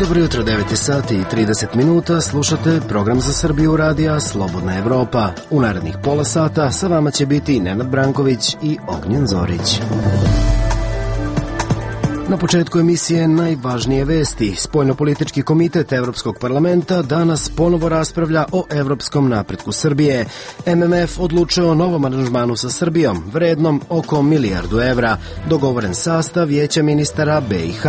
Dobro jutro, 9 sati i 30 minuta, slušate program za Srbiju radija Slobodna Evropa. U narednih pola sata sa vama će biti Nenad Branković i Ognjen Zorić. Na početku emisije najvažnije vesti. Spoljnopolitički komitet Evropskog parlamenta danas ponovo raspravlja o evropskom napretku Srbije. MMF odlučio o novom aranžmanu sa Srbijom, vrednom oko $1 milijardu. Dogovoren sastav vijeća ministara BiH.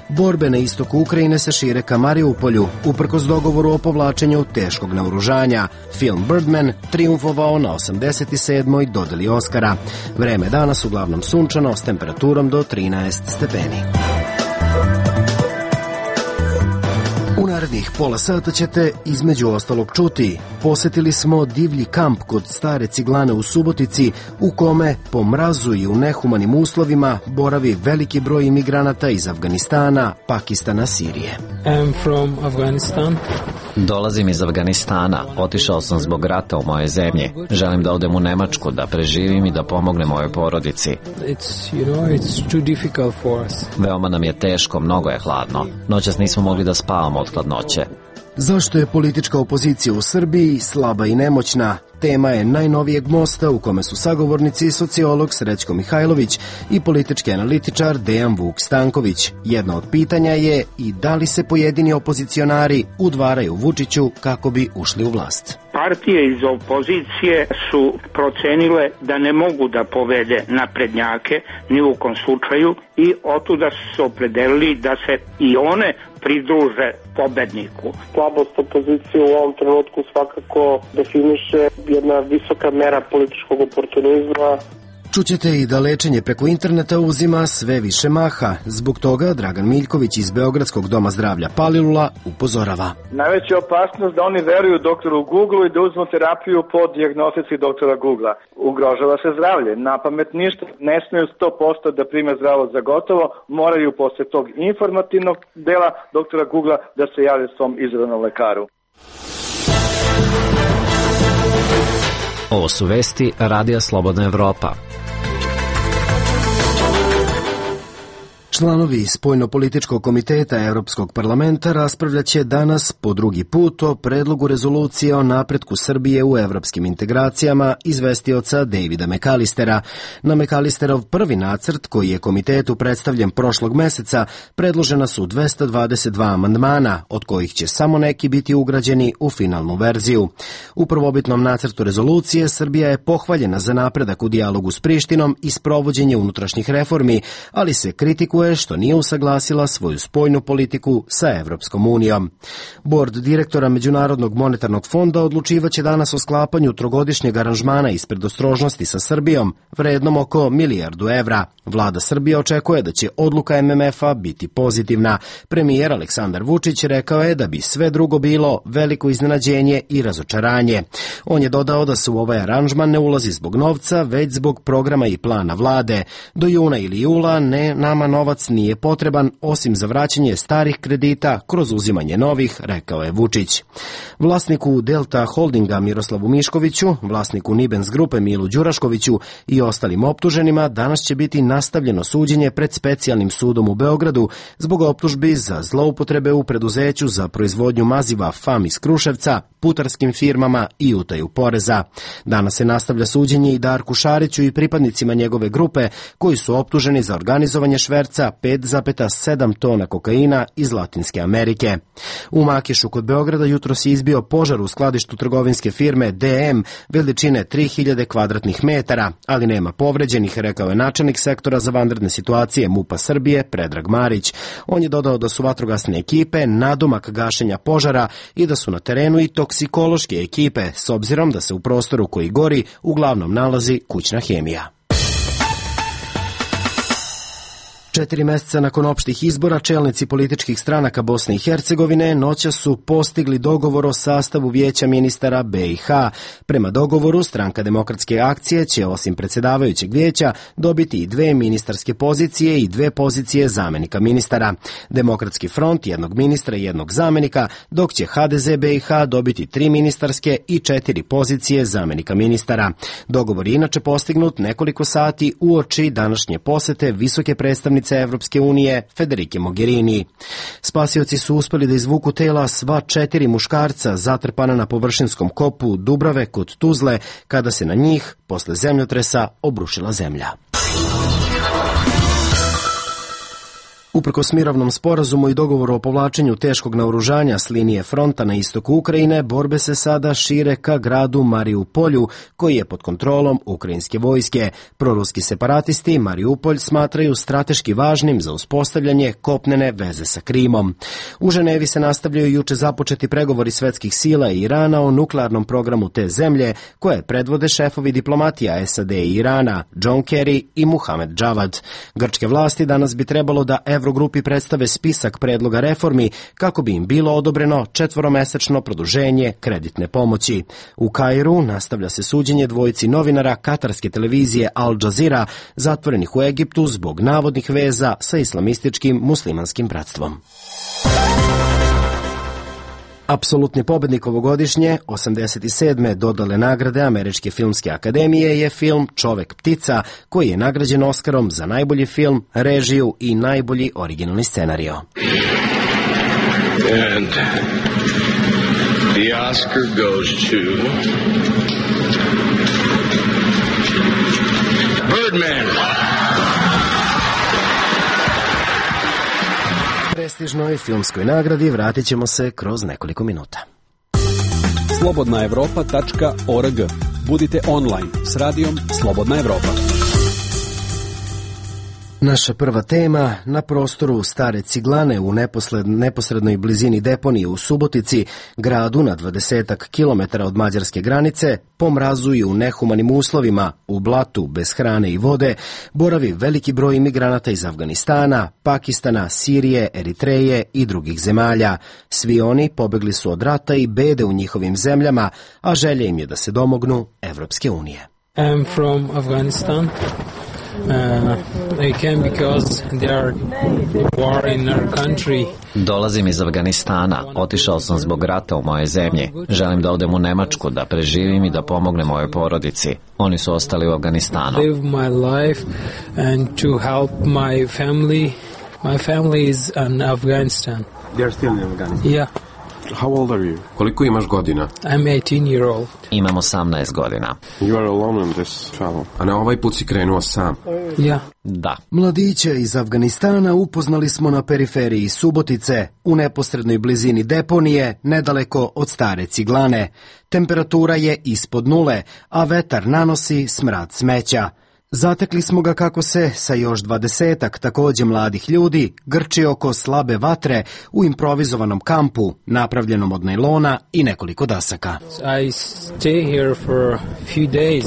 Borbe na istoku Ukrajine se šire ka Mariupolju, uprkos dogovoru o povlačenju teškog naoružanja. Film Birdman triumfovao na 87. dodeli Oskara. Vreme danas uglavnom sunčano s temperaturom do 13 stepeni. U narednih pola sata ćete između ostalog čuti. Posetili smo divlji kamp kod stare ciglane u Subotici u kome po mrazu i u nehumanim uslovima boravi veliki broj imigranata iz Afganistana, Pakistana, Sirije. I'm from Afghanistan. Dolazim iz Afganistana. Otišao sam zbog rata u mojoj zemlji. Želim da odem u Nemačku, da preživim i da pomognem mojoj porodici. It's too difficult for us. Veoma nam je teško, mnogo je hladno. Noćas nismo mogli da spavamo od hladnoće. Zašto je politička opozicija u Srbiji slaba i nemoćna? Tema je najnovijeg mosta u kome su sagovornici sociolog Srećko Mihajlović i politički analitičar Dejan Vuk Stanković. Jedno od pitanja je i da li se pojedini opozicionari udvaraju Vučiću kako bi ušli u vlast. Partije iz opozicije su procenile da ne mogu da povede naprednjake ni u kom slučaju i otuda su se opredelili da se i one pridruže pobedniku. Slabost opozicije u ovom trenutku svakako definiše jedna visoka mera političkog oportunizma. Čućete i da lečenje preko interneta uzima sve više maha. Zbog toga Dragan Miljković iz Beogradskog doma zdravlja Palilula upozorava. Najveća opasnost da oni veruju doktoru Google i da uzmu terapiju po dijagnostici doktora Googlea. Ugrožava se zdravlje. Na pamet ništa. Ne smiju 100% da prime zdravo za gotovo. Moraju posle tog informativnog dela doktora Googlea da se jave svom izabranom lekaru. Ovo su vesti Radija Slobodna Evropa. Članovi Spoljnopolitičkog komiteta Evropskog parlamenta raspravljaće danas po drugi put o predlogu rezolucije o napretku Srbije u evropskim integracijama izvestioca Davida McAllistera. Na McAllisterov prvi nacrt, koji je komitetu predstavljen prošlog meseca, predložena su 222 amandmana, od kojih će samo neki biti ugrađeni u finalnu verziju. U prvobitnom nacrtu rezolucije Srbija je pohvaljena za napredak u dijalogu s Prištinom i sprovođenje unutrašnjih reformi, ali se kritikuje što nije usaglasila svoju spoljnu politiku sa Evropskom unijom. Bord direktora Međunarodnog monetarnog fonda odlučivaće danas o sklapanju trogodišnjeg aranžmana iz predostrožnosti sa Srbijom, vrednom oko $1 milijardu. Vlada Srbije očekuje da će odluka MMF-a biti pozitivna. Premijer Aleksandar Vučić rekao je da bi sve drugo bilo veliko iznenađenje i razočaranje. On je dodao da se u ovaj aranžman ne ulazi zbog novca, već zbog programa i plana vlade. Do juna ili jula nama novac nije potreban, osim za vraćanje starih kredita kroz uzimanje novih, rekao je Vučić. Vlasniku Delta Holdinga Miroslavu Miškoviću, vlasniku Nibens grupe Milu Đuraškoviću i ostalim optuženima danas će biti nastavljeno suđenje pred specijalnim sudom u Beogradu zbog optužbi za zloupotrebe u preduzeću za proizvodnju maziva FAM iz Kruševca, putarskim firmama i utaju poreza. Danas se nastavlja suđenje i Darku Šariću i pripadnicima njegove grupe koji su optuženi za organizovanje šverca 5,7 tona kokaina iz Latinske Amerike. U Makišu kod Beograda jutros je izbio požar u skladištu trgovinske firme DM veličine 3000 kvadratnih metara, ali nema povređenih, rekao je načelnik sektora za vanredne situacije MUP-a Srbije Predrag Marić. On je dodao da su vatrogasne ekipe nadomak gašenja požara i da su na terenu i toksikološke ekipe, s obzirom da se u prostoru koji gori uglavnom nalazi kućna hemija. 4 meseca nakon opštih izbora, čelnici političkih stranaka Bosne i Hercegovine noćas su postigli dogovor o sastavu vijeća ministara BiH. Prema dogovoru, Stranka demokratske akcije će osim predsjedavajućeg vijeća dobiti i 2 ministarske pozicije i 2 pozicije zamenika ministara. Demokratski front 1 ministra i 1 zamenika, dok će HDZ BiH dobiti 3 ministarske i 4 pozicije zamenika ministara. Dogovor je inače postignut nekoliko sati uoči današnje posete visoke predstavnice potpredsednice Evropske unije Federike Mogherini. Spasioci su uspeli da izvuku tela sva 4 muškarca zatrpana na površinskom kopu Dubrave kod Tuzle, kada se na njih, posle zemljotresa, obrušila zemlja. Uprkos mirovnom sporazumu i dogovoru o povlačenju teškog naoružanja s linije fronta na istoku Ukrajine, borbe se sada šire ka gradu Mariupolju, koji je pod kontrolom ukrajinske vojske. Proruski separatisti Mariupolj smatraju strateški važnim za uspostavljanje kopnene veze sa Krimom. U Ženevi se nastavljaju juče započeti pregovori svetskih sila i Irana o nuklearnom programu te zemlje, koje predvode šefovi diplomatija SAD i Irana, John Kerry i Muhamed Javad. Grčke vlasti danas bi trebalo da Evrogrupi predstave spisak predloga reformi kako bi im bilo odobreno 4-mesečno produženje kreditne pomoći. U Kairu nastavlja se suđenje dvojici novinara katarske televizije Al Jazeera zatvorenih u Egiptu zbog navodnih veza sa islamističkim muslimanskim bratstvom. Apsolutni pobednik ovogodišnje, 87. dodale nagrade Američke filmske akademije je film Čovek ptica, koji je nagrađen Oskarom za najbolji film, režiju i najbolji originalni scenario. And the Oscar goes to Birdman. Prestižnoj filmskoj nagradi vratit ćemo se kroz nekoliko minuta. Slobodnaevropa.org. Budite online s radijom Slobodna Evropa. Naša prva tema, na prostoru Stare Ciglane u neposrednoj blizini deponije u Subotici, gradu na 20 kilometara od mađarske granice, po mrazu i u nehumanim uslovima, u blatu, bez hrane i vode, boravi veliki broj imigranata iz Afganistana, Pakistana, Sirije, Eritreje i drugih zemalja. Svi oni pobegli su od rata i bede u njihovim zemljama, a želja im je da se domognu Evropske unije. I'm from Afghanistan. I came because there are war in our country. Dolazim iz Afganistana. Otišao sam zbog rata u moje zemlji. Želim da odem u Nemačku, da preživim i da pomognem mojoj porodici. Oni su ostali u Afganistanu. Live my life and to help my family. My family is in Afghanistan. They're still in Afghanistan? Yeah. How old are you? Koliko imaš godina? I'm 18-year-old. Imam 18 godina. You are alone in this travel. A na ovaj put si krenuo sam? Yeah. Da. Mladiće iz Afganistana upoznali smo na periferiji Subotice, u neposrednoj blizini deponije, nedaleko od Stare Ciglane. Temperatura je ispod nule, a vetar nanosi smrad smeća. Zatekli smo ga kako se sa još 20-ak takođe mladih ljudi grči oko slabe vatre u improvizovanom kampu, napravljenom od najlona i nekoliko dasaka. I stay here for a few days.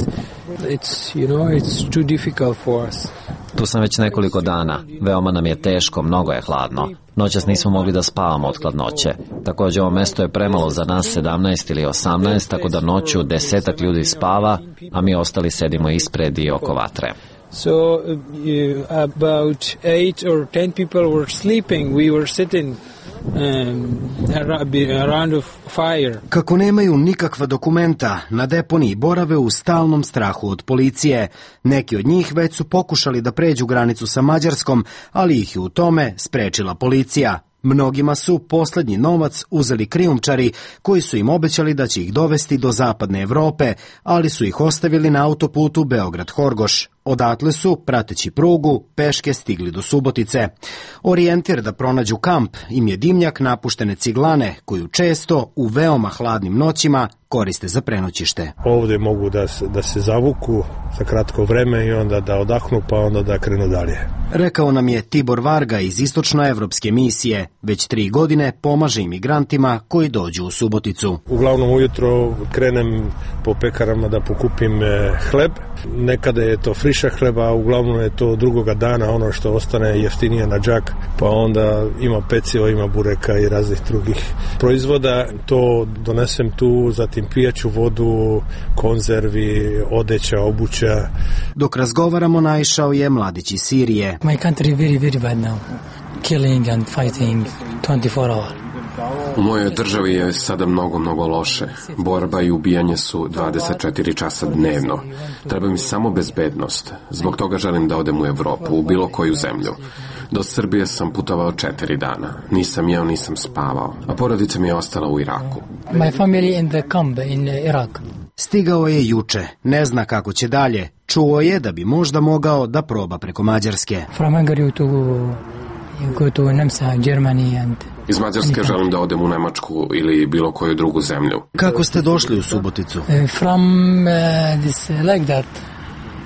It's too difficult for us. Tu sam već nekoliko dana. Veoma nam je teško, mnogo je hladno. Noćas nismo mogli da spavamo od hladnoće. Takođe, ovo mesto je premalo za nas 17 ili 18, tako da noću 10 ljudi spava, a mi ostali sedimo ispred i oko vatre. So about 8 or 10 people were sleeping. We were sitting around a fire. Kako nemaju nikakva dokumenta, na deponiji borave u stalnom strahu od policije. Neki od njih već su pokušali da pređu granicu sa Mađarskom, ali ih je u tome sprečila policija. Mnogima su poslednji novac uzeli krijumčari koji su im obećali da će ih dovesti do zapadne Evrope, ali su ih ostavili na autoputu Beograd-Horgoš. Odatle su, prateći prugu, peške stigli do Subotice. Orijentir da pronađu kamp im je dimnjak napuštene ciglane, koju često u veoma hladnim noćima koriste za prenoćište. Ovde mogu da se zavuku za kratko vreme i onda da odahnu, pa onda da krenu dalje. Rekao nam je Tibor Varga iz Istočnoevropske misije. Već 3 godine pomaže imigrantima koji dođu u Suboticu. Uglavnom ujutro krenem po pekarama da pokupim hleb. Nekada je to friša hleba, a uglavnom je to drugoga dana ono što ostane jeftinije na džak, pa onda ima peciva, ima bureka i raznih drugih proizvoda. To donesem tu, zatim pijaću vodu, konzervi, odeća, obuća. Dok razgovaramo, naišao je mladić iz Sirije. My country very, very bad now. Killing and fighting 24 hours. U mojoj državi je sada mnogo loše. Borba i ubijanje su 24 časa dnevno. Treba mi samo bezbednost. Zbog toga želim da odem u Evropu, u bilo koju zemlju. Do Srbije sam putovao 4 dana. Nisam jeo, nisam spavao. A porodica mi je ostala u Iraku. My family in the camp in Iraq. Stigao je juče, ne zna kako će dalje. Čuo je da bi možda mogao da proba preko Mađarske. From Hungary to go to Nemca, Germany and... Iz Mađarske želim da odem u Nemačku ili bilo koju drugu zemlju. Kako ste došli u Suboticu? From this like that.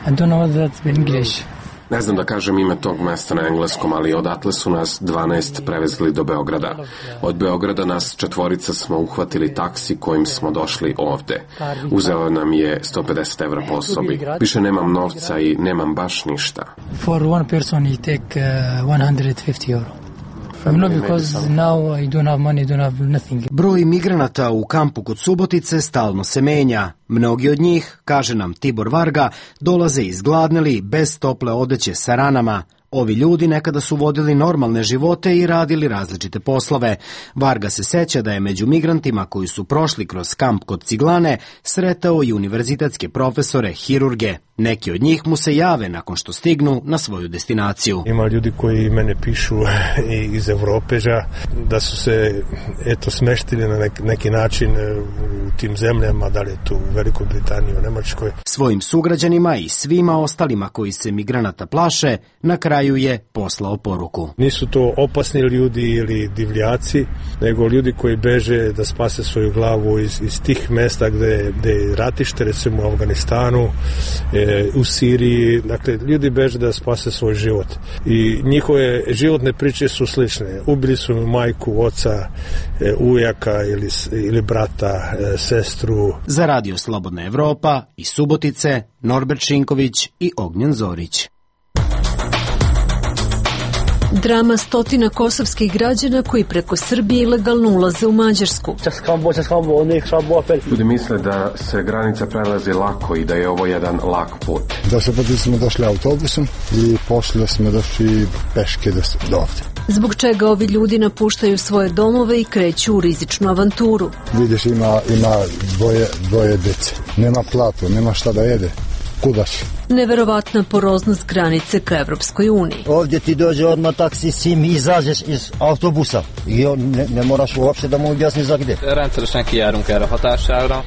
I don't know what that's in English. Ne znam da kažem ime tog mesta na engleskom, ali odatle su nas 12 prevezli do Beograda. Od Beograda nas 4 smo uhvatili taksi kojim smo došli ovde. Uzeo nam je 150 evra po osobi. Više nemam novca i nemam baš ništa. For one person he take 150 euro. No, because now I don't have money, don't have nothing. Broj migranata u kampu kod Subotice stalno se menja. Mnogi od njih, kaže nam Tibor Varga, dolaze izgladneli, bez tople odeće sa ranama. Ovi ljudi nekada su vodili normalne živote i radili različite poslove. Varga se seća da je među migrantima koji su prošli kroz kamp kod Ciglane sretao i univerzitetske profesore, hirurge. Neki od njih mu se jave nakon što stignu na svoju destinaciju. Ima ljudi koji mene pišu iz Evrope da su se smeštili na neki način u tim zemljama, da li je tu u Velikoj Britaniji, u Nemačkoj. Svojim sugrađanima i svima ostalima koji se migranata plaše, na kraju je poslao poruku. Nisu to opasni ljudi ili divljaci, nego ljudi koji beže da spase svoju glavu iz tih mesta gde je ratište, recimo u Afganistanu, u Siriji. Dakle, ljudi beže da spase svoj život. I njihove životne priče su slične. Ubili su majku, oca, ujaka ili brata, sestru. Za Radio Slobodna Evropa iz Subotice, Norbert Šinković i Ognjen Zorić. Drama stotina kosovskih građana koji preko Srbije ilegalno ulaze u Mađarsku. Ljudi misle da se granica prelazi lako i da je ovo jedan lak put. Da se smo došli autobusom i poslije smo došli peške do ovdje. Zbog čega ovi ljudi napuštaju svoje domove i kreću u rizičnu avanturu. Vidiš, ima dvoje dece. Nema platu, nema šta da jede. Kuda si? Neverovatna poroznost granice ka Evropskoj uniji. Ovdje ti dođe odmah taksi, sim i izađeš iz autobusa i ne moraš uopšte da mu objasni za gde.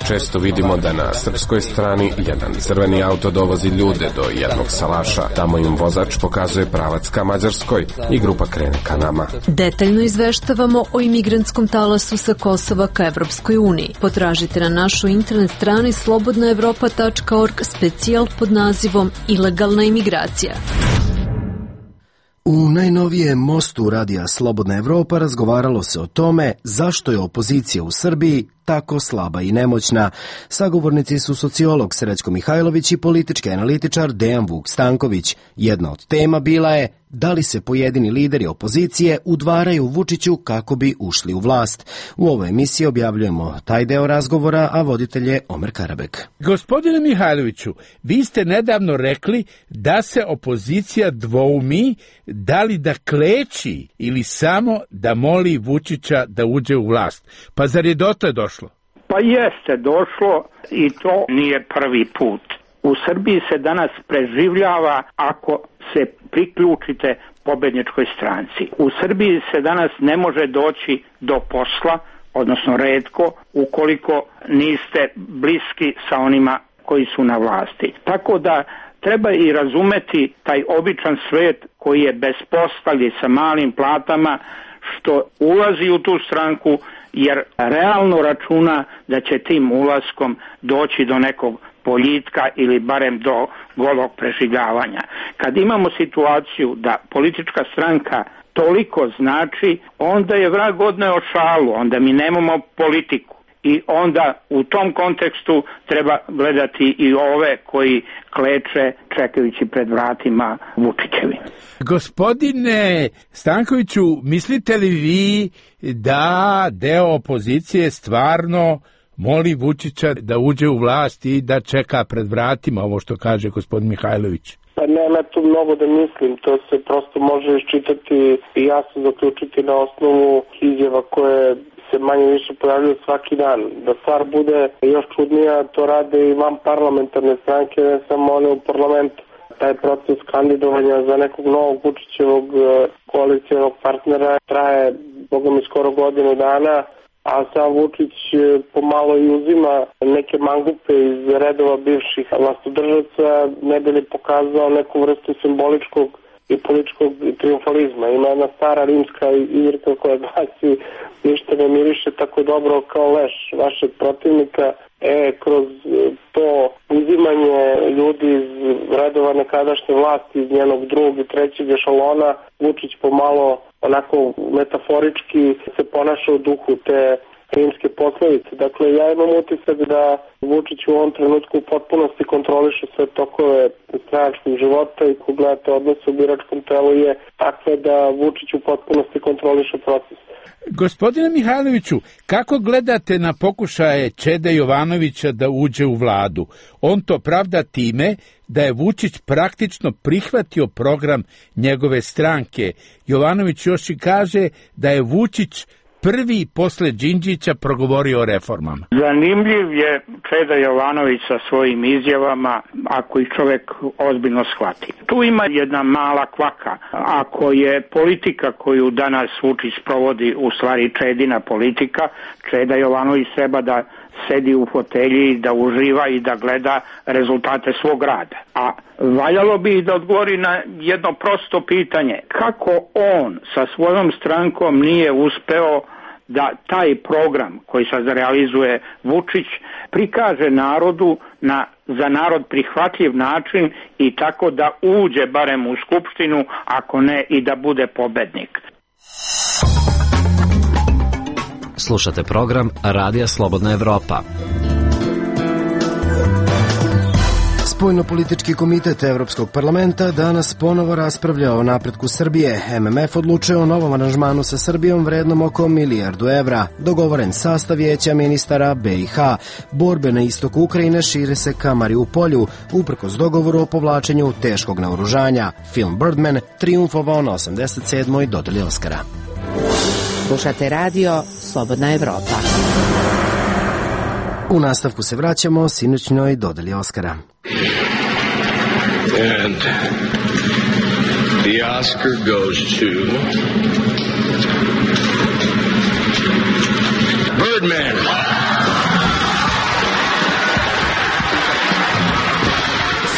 Često vidimo da na srpskoj strani jedan crveni auto dovozi ljude do jednog salaša. Tamo im vozač pokazuje pravac ka Mađarskoj i grupa krene ka nama. Detaljno izveštavamo o imigrantskom talasu sa Kosova ka Evropskoj uniji. Potražite na našoj internet strani slobodnaevropa.org specijal pod nazivom Ilegalna imigracija. U najnovijem mostu Radija Slobodna Evropa razgovaralo se o tome zašto je opozicija u Srbiji tako slaba i nemoćna. Sagovornici su sociolog Srećko Mihajlović i politički analitičar Dejan Vuk Stanković. Jedna od tema bila je da li se pojedini lideri opozicije udvaraju Vučiću kako bi ušli u vlast. U ovoj emisiji objavljujemo taj deo razgovora, a voditelj je Omer Karabek. Gospodine Mihajloviću, vi ste nedavno rekli da se opozicija dvoumi da li da kleči ili samo da moli Vučića da uđe u vlast. Pa zar je dotle došlo? Pa jeste došlo i to nije prvi put. U Srbiji se danas preživljava ako se priključite pobedničkoj stranci. U Srbiji se danas ne može doći do posla, odnosno retko, ukoliko niste bliski sa onima koji su na vlasti. Tako da treba i razumeti taj običan svet koji je bez posla ili sa malim platama što ulazi u tu stranku jer realno računa da će tim ulaskom doći do nekog boljitka ili barem do golog preživljavanja. Kad imamo situaciju da politička stranka toliko znači, onda je vrag odneo šalu, onda mi nemamo politiku. I onda u tom kontekstu treba gledati i ove koji kleče čekajući pred vratima Vučićevi. Gospodine Stankoviću, mislite li vi da deo opozicije stvarno moli Vučića da uđe u vlast i da čeka pred vratima, ovo što kaže gospodin Mihajlović? Pa nema tu mnogo da mislim, to se prosto može iščitati i jasno zaključiti na osnovu izjava koje manje više pojavljuju svaki dan. Da stvar bude još čudnija, to rade i van parlamentarne stranke, ne samo one u parlamentu. Taj proces kandidovanja za nekog novog Vučićevog koalicijonog partnera traje, boga mi, skoro godinu dana, a sam Vučić pomalo i uzima neke mangupe iz redova bivših vlastodržaca, ne bi li pokazao neku vrstu simboličkog i političkog triumfalizma. Ima jedna stara rimska izreka koja glasi: ništa ne miriše tako dobro kao leš vašeg protivnika. Kroz to uzimanje ljudi iz redova nekadašnje vlasti, iz njenog drugog i trećeg ešalona, Vučić pomalo onako metaforički se ponaša u duhu te rimske poslovice. Dakle, ja imam utisak da Vučić u ovom trenutku u potpunosti kontroliše sve tokove stranačkog života i ko gledate odnos u biračkom telu je takve da Vučić u potpunosti kontroliše proces. Gospodine Mihajloviću, kako gledate na pokušaje Čede Jovanovića da uđe u vladu? On to pravda time da je Vučić praktično prihvatio program njegove stranke. Jovanović još i kaže da je Vučić prvi posle Đinđića progovorio o reformama. Zanimljiv je Čeda Jovanović sa svojim izjavama, ako ih čovek ozbiljno shvati. Tu ima jedna mala kvaka. Ako je politika koju danas Vučić sprovodi u stvari Čedina politika, Čeda Jovanović treba da sedi u fotelji, da uživa i da gleda rezultate svog rada. A valjalo bi da odgovori na jedno prosto pitanje. Kako on sa svojom strankom nije uspeo da taj program koji sad realizuje Vučić prikaže narodu na za narod prihvatljiv način i tako da uđe barem u Skupštinu, ako ne i da bude pobednik. Slušate program Radija Slobodna Evropa. Spoljnopolitički komitet Evropskog parlamenta danas ponovo raspravlja o napretku Srbije. MMF odlučuje o novom aranžmanu sa Srbijom vrednom oko $1 milijardu. Dogovoren sastav vijeća ministara BiH. Borbe na istoku Ukrajine šire se ka Mariupolju, uprkos dogovoru o povlačenju teškog naoružanja. Film Birdman triumfovao na 87. dodeli Oskara. Slušate radio Slobodna Evropa. U nastavku se vraćamo sinoćnoj dodeli Oskara. And the Oscar goes to Birdman.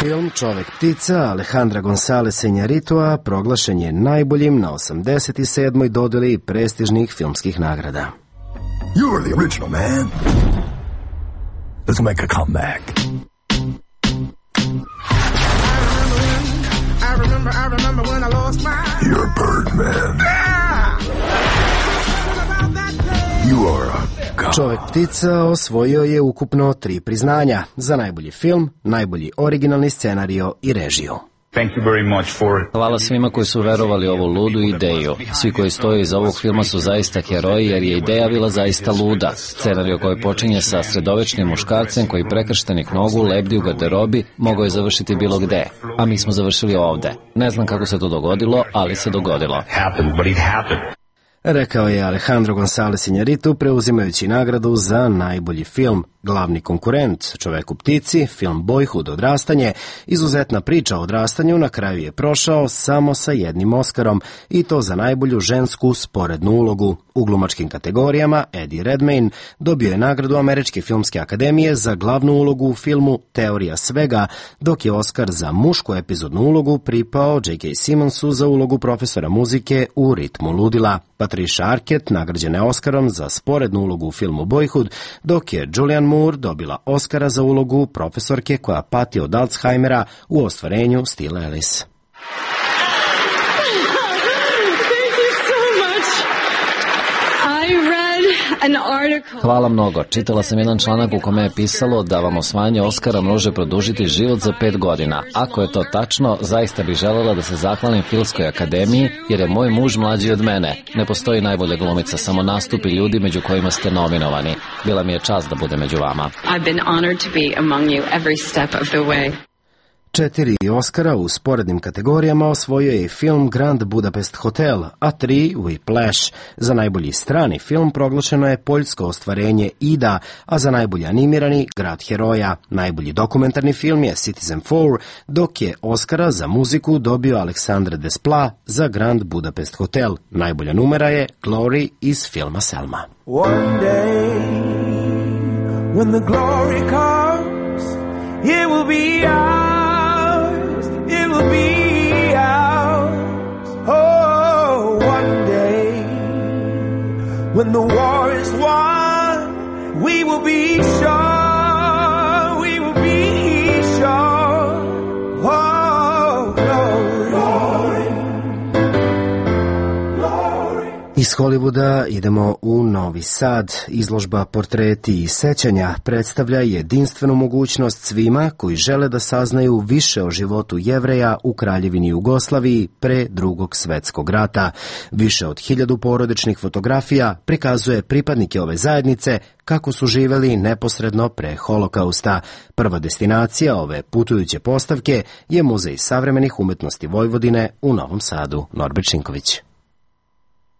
Film Čovek ptica Alejandra Gonzáleza Iñárritua proglašen je najboljim na 87. dodeli prestižnih filmskih nagrada. You were the original, man. Let's make a comeback. I remember when I lost my... You're Birdman. You are a god. Čovek ptica osvojio je ukupno 3 priznanja za najbolji film, najbolji originalni scenario i režiju. Hvala svima koji su verovali ovu ludu ideju. Svi koji stoje iza ovog filma su zaista heroji jer je ideja bila zaista luda. Scenario koji počinje sa sredovečnim muškarcem koji prekrštenih nogu lebdi u garderobi mogao je završiti bilo gde. A mi smo završili ovde. Ne znam kako se to dogodilo, ali se dogodilo. Rekao je Alejandro González Iñárritu preuzimajući nagradu za najbolji film. Glavni konkurent Čoveku ptici, film Boyhood odrastanje, izuzetna priča o odrastanju, na kraju je prošao samo sa jednim Oskarom i to za najbolju žensku sporednu ulogu. U glumačkim kategorijama Eddie Redmayne dobio je nagradu Američke filmske akademije za glavnu ulogu u filmu Teorija svega, dok je Oskar za mušku epizodnu ulogu pripao J.K. Simmonsu za ulogu profesora muzike u Ritmu ludila. Patricia Arquette nagrađena je Oskarom za sporednu ulogu u filmu Boyhood, dok je Julianne Moore dobila Oskara za ulogu profesorke koja pati od Alzheimera u ostvarenju Still Alice. Hvala mnogo. Čitala sam jedan članak u kome je pisalo da vam osvajanje Oskara može produžiti život za 5 godina. Ako je to tačno, zaista bih želela da se zahvalim Filmskoj akademiji, jer je moj muž mlađi od mene. Ne postoji najbolja glumica, samo nastupi ljudi među kojima ste nominovani. Bila mi je čast da budem među vama. 4 Oscara u sporednim kategorijama osvojio je i film Grand Budapest Hotel, a 3 Whiplash. Za najbolji strani film proglašeno je poljsko ostvarenje Ida, a za najbolji animirani Grad heroja. Najbolji dokumentarni film je Citizen 4, dok je Oscara za muziku dobio Alexandre Desplat za Grand Budapest Hotel. Najbolja numera je Glory iz filma Selma. One day, when the glory comes, it will be ours, it will be ours. Oh, one day, when the war is won, we will be sure, we will be sure. Oh, glory, glory. Iz Hollywooda idemo u Novi Sad. Izložba Portreti i sećanja predstavlja jedinstvenu mogućnost svima koji žele da saznaju više o životu Jevreja u Kraljevini Jugoslaviji pre Drugog svetskog rata. Više od 1000 porodičnih fotografija prikazuje pripadnike ove zajednice kako su živeli neposredno pre Holokausta. Prva destinacija ove putujuće postavke je Muzej savremenih umetnosti Vojvodine u Novom Sadu. Norbert Šinković.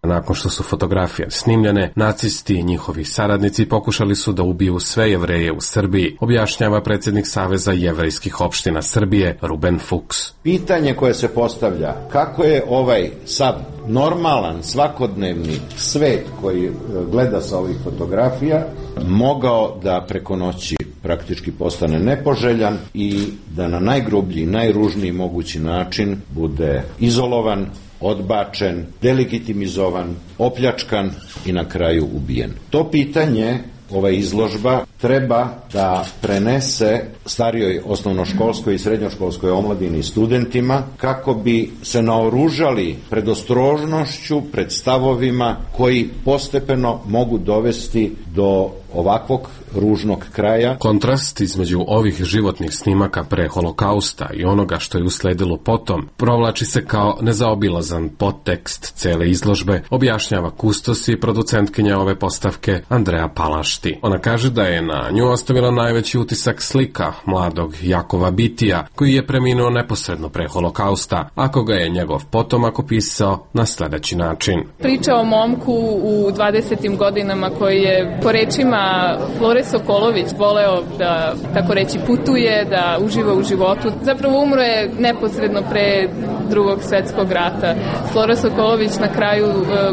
Nakon što su fotografije snimljene, nacisti i njihovi saradnici pokušali su da ubiju sve Jevreje u Srbiji, objašnjava predsjednik Saveza jevrejskih opština Srbije, Ruben Fuchs. Pitanje koje se postavlja, kako je ovaj sad normalan, svakodnevni svet koji gleda sa ovih fotografija mogao da preko noći praktički postane nepoželjan i da na najgrublji, najružniji mogući način bude izolovan, odbačen, delegitimizovan, opljačkan i na kraju ubijen. To pitanje ova izložba treba da prenese starijoj osnovnoškolskoj i srednjoškolskoj omladini i studentima kako bi se naoružali predostrožnošću, pred stavovima koji postepeno mogu dovesti do ovakvog ružnog kraja. Kontrast između ovih životnih snimaka pre Holokausta i onoga što je usledilo potom provlači se kao nezaobilazan podtekst cele izložbe, objašnjava kustos i producentkinja ove postavke Andreja Palašti. Ona kaže da je na nju ostavila najveći utisak slika mladog Jakova Bitija, koji je preminuo neposredno pre Holokausta, ako ga je njegov potomak opisao na sledeći način. Priča o momku u 20. godinama koji je po rečima Flore Sokolović voleo da, tako reći, putuje, da uživa u životu. Zapravo umro je neposredno pre Drugog svetskog rata. Flora Sokolović na kraju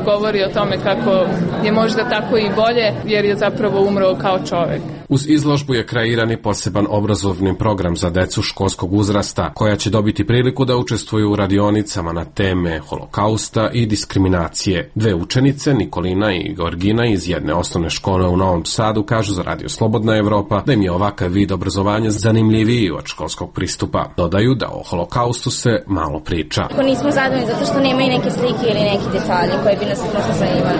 govori o tome kako je možda tako i bolje, jer je zapravo umro kao čovek. Uz izložbu je kreiran i poseban obrazovni program za decu školskog uzrasta, koja će dobiti priliku da učestvuju u radionicama na teme Holokausta i diskriminacije. Dve učenice, Nikolina i Georgina iz jedne osnovne škole u Novom Sadu, kažu za Radio Slobodna Evropa da im je ovakav vid obrazovanja zanimljiviji od školskog pristupa. Dodaju da o Holokaustu se malo priča. Ako nismo zadovoljni zato što nema i neke slike ili neki detalji koji bi nas možda zanimali.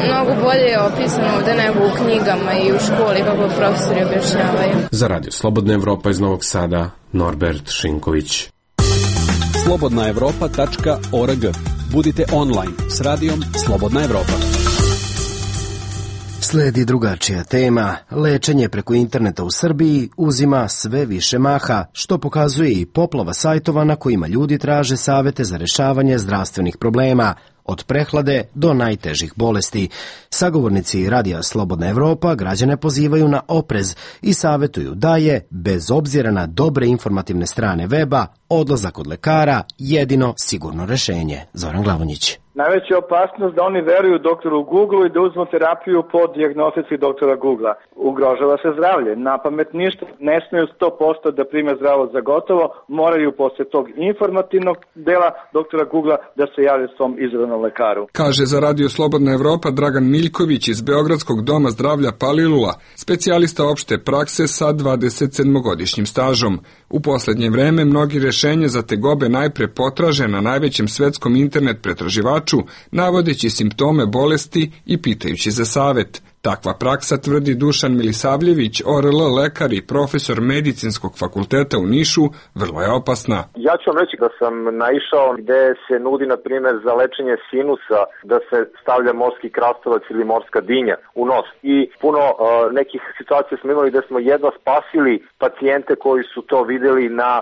Mnogo bolje je opisano ovde nego u knjigama i u školi kako profesori objašnjavaju. Za Radio Slobodna Evropa iz Novog Sada, Norbert Šinković. slobodnaevropa.org. Budite online s radijom Slobodna Evropa. Sledi drugačija tema. Lečenje preko interneta u Srbiji uzima sve više maha, što pokazuje i poplava sajtova na kojima ljudi traže savete za rešavanje zdravstvenih problema, od prehlade do najtežih bolesti. Sagovornici Radija Slobodna Evropa građane pozivaju na oprez i savetuju da je, bez obzira na dobre informativne strane weba, odlazak od lekara jedino sigurno rešenje. Zoran Glavonjić. Najveća opasnost da oni veruju doktoru Google i da uzmu terapiju po dijagnostici doktora Google. Ugrožava se zdravlje. Na pamet ništa. Ne smiju 100% da prime zdravo za gotovo. Moraju posle tog informativnog dela doktora Google da se jave svom izravnom lekaru. Kaže za Radio Slobodna Evropa Dragan Miljković iz Beogradskog doma zdravlja Palilula, specijalista opšte prakse sa 27-godišnjim stažom. U poslednje vreme mnogi rešenje za tegobe najpre potraže na najvećem svetskom internet pretraživaču, navodeći simptome bolesti i pitajući za savet. Takva praksa, tvrdi Dušan Milisavljević, ORL lekar i profesor medicinskog fakulteta u Nišu, vrlo je opasna. Ja ću vam reći da sam naišao gde se nudi, na primjer, za lečenje sinusa da se stavlja morski krastavac ili morska dinja u nos. I puno nekih situacija smo imali gde smo jedva spasili pacijente koji su to videli na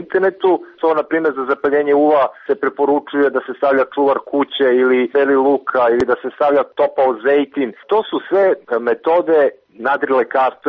internetu. To, na primjer, za zapaljenje uva se preporučuje da se stavlja čuvar kuće ili beli luka ili da se stavlja topao zejtin. To su sve metode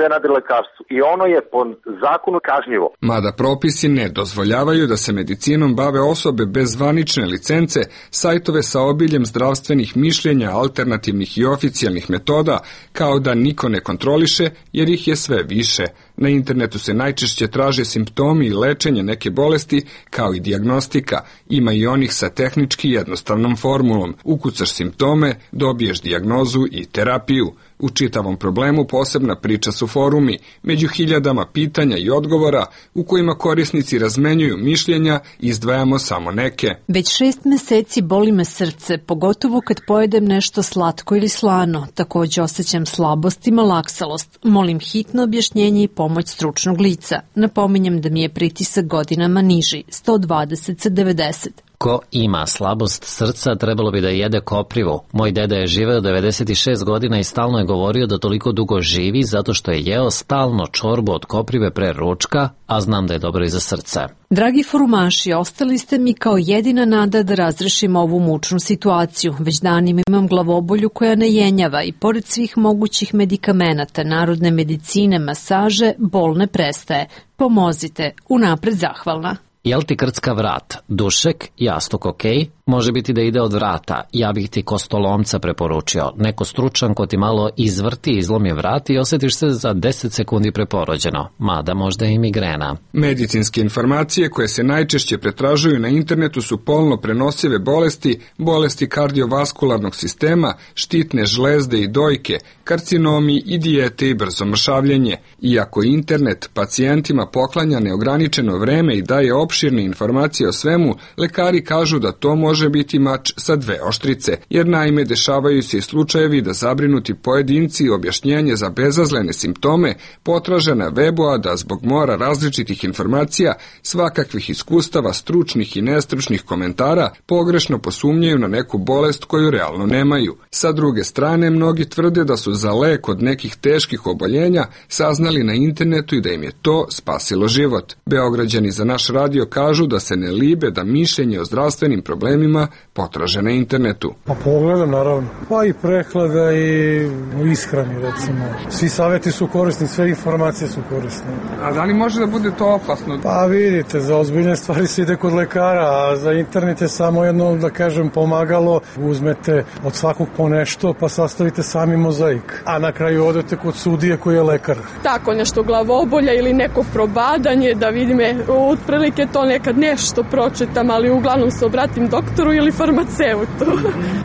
nadrilekarstvo i ono je po zakonu kažnjivo. Mada propisi ne dozvoljavaju da se medicinom bave osobe bez zvanične licence, sajtove sa obiljem zdravstvenih mišljenja, alternativnih i oficijalnih metoda, kao da niko ne kontroliše, jer ih je sve više. Na internetu se najčešće traže simptomi i lečenje neke bolesti, kao i dijagnostika. Ima i onih sa tehnički jednostavnom formulom. Ukucaš simptome, dobiješ dijagnozu i terapiju. U čitavom problemu posebna priča su forumi, među hiljadama pitanja i odgovora u kojima korisnici razmenjuju mišljenja, izdvajamo samo neke. Već 6 meseci boli me srce, pogotovo kad pojedem nešto slatko ili slano. Takođe osjećam slabost i malaksalost. Molim hitno objašnjenje i pomoć stručnog lica. Napominjem da mi je pritisak godinama niži, 120 sa 90. Ko ima slabost srca, trebalo bi da jede koprivu. Moj deda je živeo 96 godina i stalno je govorio da toliko dugo živi zato što je jeo stalno čorbu od koprive pre ručka, a znam da je dobro i za srce. Dragi forumaši, ostali ste mi kao jedina nada da razrešim ovu mučnu situaciju. Već danima imam glavobolju koja ne jenjava i pored svih mogućih medikamenata, narodne medicine, masaže, bol ne prestaje. Pomozite, unapred zahvalna. Jel ti krcka vrat? Dušek, jastuk ok? Može biti da ide od vrata. Ja bih ti kostolomca preporučio. Neko stručan ko ti malo izvrti, izlomi vrat i osjetiš se za 10 sekundi preporođeno. Mada možda i migrena. Medicinske informacije koje se najčešće pretražuju na internetu su polno prenosive bolesti, bolesti kardiovaskularnog sistema, štitne žlezde i dojke, karcinomi i dijete i brzo mršavljenje. Iako internet pacijentima poklanja neograničeno vreme i daje opširne informacije o svemu, lekari kažu da to može biti mač sa dve oštrice, jer naime dešavaju se i slučajevi da zabrinuti pojedinci objašnjenje za bezazlene simptome potraže na webu, a da zbog mora različitih informacija, svakakvih iskustava, stručnih i nestručnih komentara, pogrešno posumnjaju na neku bolest koju realno nemaju. Sa druge strane, mnogi tvrde da su za lek od nekih teških oboljenja saznali na internetu i da im je to spasilo život. Beograđani za naš radio kažu da se ne libe da mišljenje o zdravstvenim problemima potraže na internetu. Pa pogledam, naravno. Pa i prehlada i ishrani, recimo. Svi savjeti su korisni, sve informacije su korisne. A da li može da bude to opasno? Pa vidite, za ozbiljne stvari se ide kod lekara, a za internet je samo jedno, da kažem, pomagalo. Uzmete od svakog po nešto, pa sastavite sami mozaik. A na kraju odete kod sudije koji je lekar. Tako, nešto glavobolja ili neko probadanje, da vidim, otprilike to nekad nešto pročitam, ali uglavnom se obratim doktoru ili farmaceutu.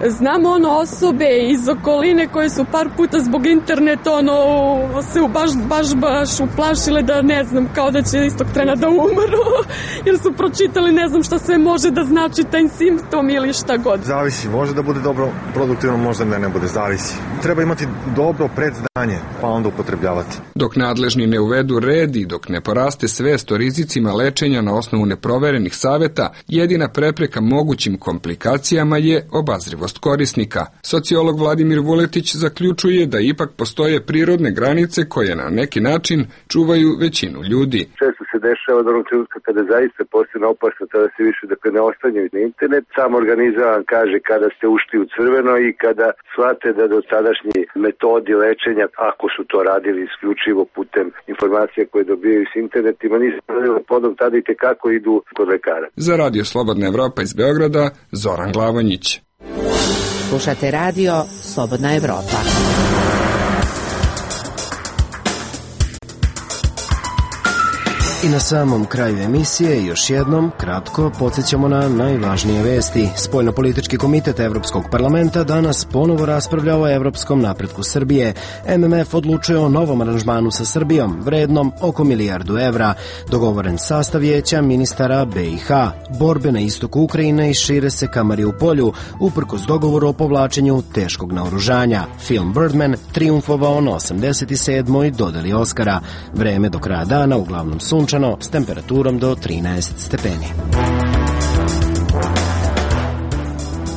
Znam osobe iz okoline koje su par puta zbog interneta se baš uplašile da ne znam, kao da će istog trena da umru, jer su pročitali ne znam šta sve može da znači taj simptom ili šta god. Zavisi, može da bude dobro produktivno, možda ne bude, zavisi. Treba imati dobro predznanje, pa onda upotrebljavati. Dok nadležni ne uvedu red i dok ne poraste svest o rizicima lečenja na osnovu neproverenih saveta, jedina prepreka mogućim komplikacijama je obazrivost korisnika. Sociolog Vladimir Vuletić zaključuje da ipak postoje prirodne granice koje na neki način čuvaju većinu ljudi. Često se dešava da onog trenutka kada zaista postane opasno, tada se više ne ostanjaju na internet. Sam organizam vam kaže kada ste ušli u crveno i kada shvate da do tadašnji metodi lečenja, ako su to radili isključivo putem informacija koje dobijaju s internetima, nisu podom tada i tekako idu kod lekara. Za Radio Slobodna Evropa iz Beograda, Zoran Glavonjić. Slušate radio Slobodna Evropa. I na samom kraju emisije još jednom kratko podsjećamo na najvažnije vesti. Spoljnopolitički komitet Evropskog parlamenta danas ponovo raspravlja o evropskom napretku Srbije. MMF odlučuje o novom aranžmanu sa Srbijom, vrednom oko €1 milijardu. Dogovoren sastav vijeća ministara BiH. Borbe na istoku Ukrajine i šire se ka Mariupolju, uprkos dogovoru o povlačenju teškog naoružanja. Film Birdman triumfovao na 87. dodeli Oskara. Vreme do kraja dana uglavnom sunčano, s temperaturom do 13 stepeni.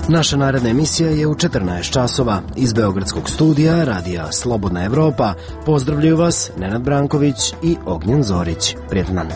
Naša naredna emisija je u 14 časova. Iz Beogradskog studija radija Slobodna Evropa pozdravljaju vas Nenad Branković i Ognjen Zorić. Prijetan dan.